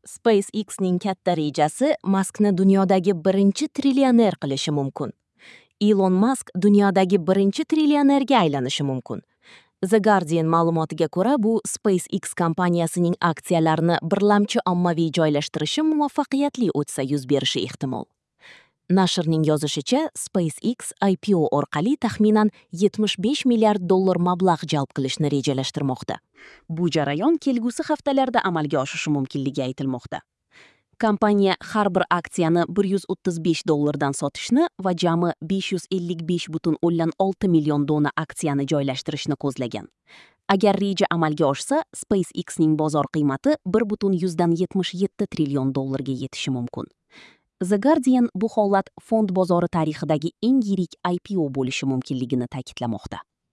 SpaceX'ning katta rejasi Maskni dunyodagi birinchi trillioner qilishi mumkin. Ilon Mask dunyodagi birinchi trillionerga aylanishi mumkin. The Guardian ma'lumotiga ko'ra, bu SpaceX kompaniyasining aksiyalarini birlamchi ommaviy joylashtirishi muvaffaqiyatli o'tsa yuz berishi ehtimol. Nashrning yozishicha, SpaceX IPO orqali taxminan 75 milliard dollar mablag' jalb qilishni rejalashtirmoqda. Bu jarayon kelgusi haftalarda amalga oshishi mumkinligi aytilmoqda. Kompaniya har bir aksiyani 135 dollardan sotishni va jami 555,6 million dona aksiyani joylashtirishni ko'zlagan. Agar reja amalga oshsa, SpaceX'ning bozor qiymati 1,77 trillion dollarga yetishi mumkin. The Guardian bu holat fond bozori tarixidagi eng yirik IPO bo'lishi mumkinligini ta'kidlamoqda.